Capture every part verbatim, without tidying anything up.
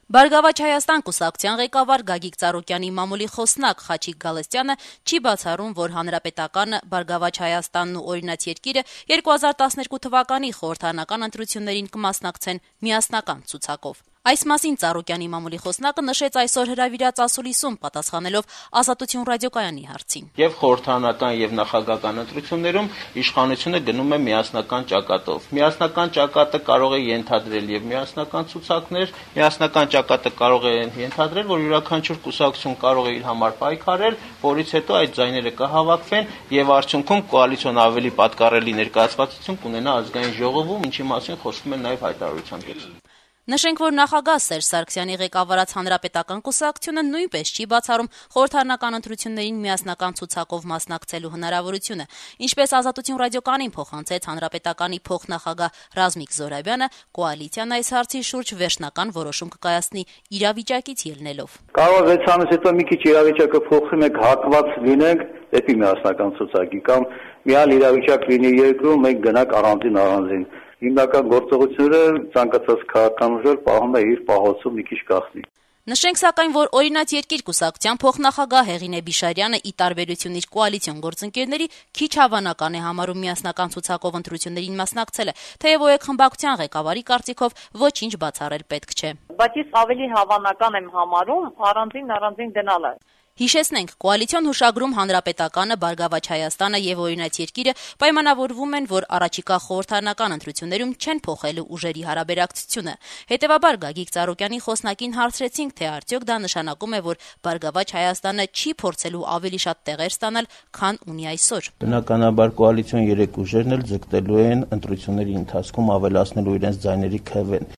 Բարգավաճ Հայաստան կուսակցության ղեկավար Գագիկ Ծառուկյանի մամուլի խոսնակ Խաչիկ Գալստյանը չի բացառում, որ Հանրապետականը, Բարգավաճ Հայաստանն ու Օրինաց երկիրը երկու հազար տասներկու թվականի խորհրդարանական ընտրություններին կմասնակցեն միասնական ցուցակով։ Այս մասին Ծառուկյանի մամուլի խոսնակը նշեց այսօր հրավիրած ասուլիսում, պատասխանելով Ազատություն ռադիոկայանի հարցին։ Եվ խորհրդարանական եւ նախագահական ընտրություններում իշխանությունը գնում է միասնական ճակատով։ Միասնական ճակատը կարող է ենթադրել եւ միասնական ցուցակներ, միասնական ճակատը կարող է ենթադրել, որ յուրաքանչյուր կուսակցություն կարող է իր համար պայքարել, որից հետո այդ ձայները կհավաքվեն եւ արդյունքում կոալիցիոն ավելի պատկառելի ներկայացվածություն կունենա ազգային ժողովում, ինչի մասին խոսվում է նաեւ հայտարարության մեջ։ Նշենք, որ նախագահ Սերժ Սարգսյանի ղեկավարած Հանրապետական կուսակցությունը նույնպես չի բացառում խորհրդարանական ընտրություններին միասնական ցուցակով մասնակցելու հնարավորությունը։ Ինչպես Ազատություն ռադիոկայանին փոխանցեց Հանրապետականի փոխնախագահ Ռազմիկ Զոհրաբյանը, կոալիցիան այս հարցի շուրջ վերջնական որոշում կկայացնի իրավիճակից ելնելով։ Կարող է վեց ամիս հետո մի քիչ իրավիճակը փոխվի, մենք հակված լինենք դեպի միասնական ցուցակի կամ մի այլ իրավիճակ լինի երկրում, մենք գնանք առանձին առանձին։ Հիմնական գործողությունները ցանկացած քաղաքական ուժեր պահում է իր պահոցում մի քիչ գախնի։ Նշենք սակայն, որ Օրինաց երկիր կուսակցության փոխնախագահ Հեղինե Բիշարյանը ի տարբերություն իր կոալիցիոն գործընկերների քիչ հավանական է համարում միասնական ցուցակով ընտրություններին մասնակցելը, թեև ՕԵԿ խմբակցության ղեկավարի կարծիքով ոչինչ բացառել պետք չէ։ Բայց ես ավելի հավանական եմ համարում առանձին առանձին գնալը։ Հիշեցնենք, կոալիցիոն հուշագրում Հանրապետականը, Բարգավաճ Հայաստանը եւ Օրինաց երկիրը պայմանավորվում են, որ առաջիկա խորհրդարանական ընտրություններում չեն փոխելու ուժերի հարաբերակցությունը։ Հետևաբար Գագիկ Ծառուկյանի խոսնակին հարցրեցինք, թե արդյոք դա նշանակում է, որ Բարգավաճ Հայաստանը չի փորձելու ավելի շատ տեղեր ստանալ, քան ունի այսօր։ Բնականաբար կոալիցիոն երեք ուժերն էլ ձգտելու են ընտրությունների ընթացքում ավելացնելու իրենց ձայների քվեն։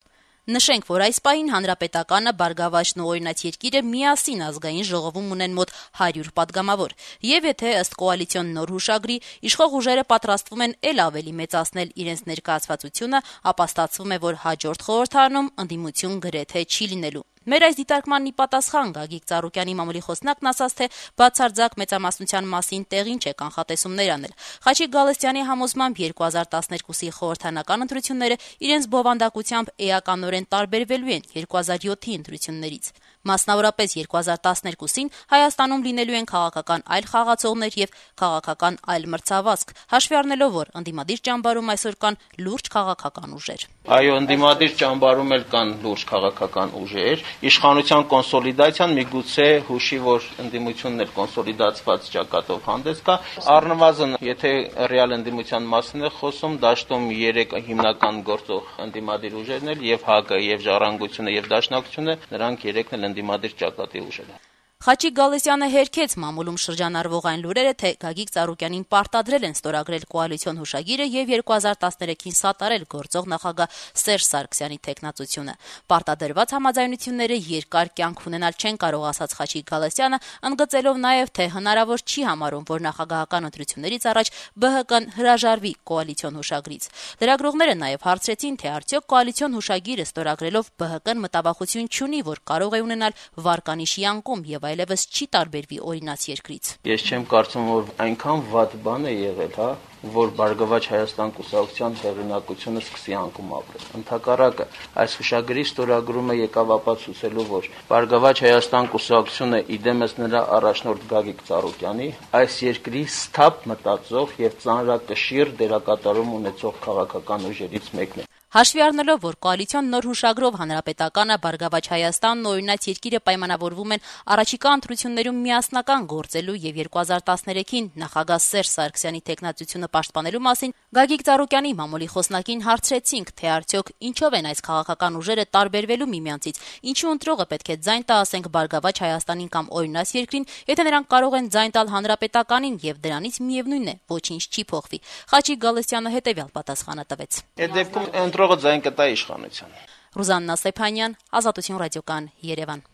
Նշենք, որ այս պահին Հանրապետականը, Բարգավաճն ու Օրինաց երկիրը միասին ազգային ժողովում ունեն մոտ հարյուր падգամավոր։ Եվ եթե ըստ կոալիցիոն նոր հուշագրի իշխող ուժերը պատրաստվում են էլ ավելի մեծացնել իրենց ներկայացվածությունը, ապա ստացվում է, որ հաջորդ խորհրդարանում ընդդիմություն գրեթե չի լինելու։ Մեր այս դիտարկմանն ի պատասխան Գագիկ Ծառուկյանի մամուլի խոսնակն ասաց, թե բացարձակ մեծամասնության մասին տեղին չէ կանխատեսումներ անել։ Խաչիկ Գալստյանի համոզմամբ երկու հազար տասներկուսի խորհրդարանական ընտրությունները իրենց բովանդակությամբ էականորեն տարբերվելու են երկու հազար յոթի ընտրություններից։ Մասնավորապես երկու հազար տասներկուսին Հայաստանում լինելու են քաղաքական այլ խաղացողներ եւ քաղաքական այլ մրցավազք, հաշվի առնելով, որ ընդդիմադիր ճամբարում այսօր կան լուրջ քաղաքական ուժեր։ Այո, ընդդիմադիր ճամբարում էլ կան լուրջ քաղաքական ուժեր։ Իշխանության կոնսոլիդացիան միգուցե հուշի, որ ընդդիմությունն էլ կոնսոլիդացված ճակատով հանդես կա։ Առնվազն, եթե ռեալ ընդդիմության մասին է խոսում, դաշտում երեք հիմնական գործող ընդդիմադիր ուժերն էլ եւ ՀԱԿ-ը, եւ Ժառանգությունը, եւ Դաշնակցությունը, նրանք երեքն էլ ընդդիմադիր ճակատի ուժեր են։ Խաչիկ Գալստյանը հերքեց մամուլում շրջանառվող այն լուրերը, թե Գագիկ Ծառուկյանին պարտադրել են ստորագրել կոալիցիոն հուշագիրը եւ երկու հազար տասներեքին սատարել գործող նախագահ Սերժ Սարգսյանի թեկնածությունը։ Պարտադրված համաձայնությունները երկար կյանք ունենալ չեն կարող, ասաց Խաչիկ Գալստյանը, ընդգծելով նաեւ, թե հնարավոր չի համարում, որ նախագահական ընտրություններից առաջ ԲՀԿ-ն հրաժարվի կոալիցիոն հուշագրից։ Լրագրողները նաեւ հարցրեցին, թե արդյոք կոալիցիոն հուշագիրը ստորագրելով ԲՀԿ-ն մտավախություն չունի, որ կարող է ունենալ վարկանիշի անկում եւ այլևս չի տարբերվի Օրինաց երկրից։ Ես չեմ կարծում, որ այնքան վատ բան է եղել, հա, որ Բարգավաճ Հայաստան կուսակցության հեղինակությունը սկսի անկում ապրել։ Ընդհակառակը, այս հուշագրի ստորագրումը եկավ ապացուցելու, որ Բարգավաճ Հայաստան կուսակցությունը իդեմս նրա առաջնորդ Գագիկ Ծառուկյանի այս երկրի սթափ մտածող եւ ծանրակշիռ դերակատարում ունեցող քաղաքական ուժերից մեկն է։ Հաշվի առնելով, որ կոալիցիոն նոր հուշագրով Հանրապետականը, Բարգավաճ Հայաստանն ու Օրինաց երկիրը պայմանավորվում են առաջիկա ընտրություններում միասնական գործելու եւ երկու հազար տասներեքին նախագահ Սերժ Սարգսյանի թեկնածությունը պաշտպանելու մասին, Գագիկ Ծառուկյանի մամուլի խոսնակին հարցրեցինք, թե արդյոք ինչով են այս քաղաքական ուժերը տարբերվելու միմյանցից, ինչու ընտրողը պետք է ձայն տա, ասենք Բարգավաճ Հայաստանին կամ Օրինաց երկրին, եթե նրանք կարող են ձայն տալ Հանրապետականին եւ դրանից միևնույնն է, ոչինչ չի փոխվի։ Խաչիկ Գալստյանը հետեւյալ պատասխանը տվեց։ Այդ դեպքում ընտրողը ձայն կտա իշխանության։ Ռուզաննա Սեփանյան, Ազատություն ռադիոկայան, Երևան։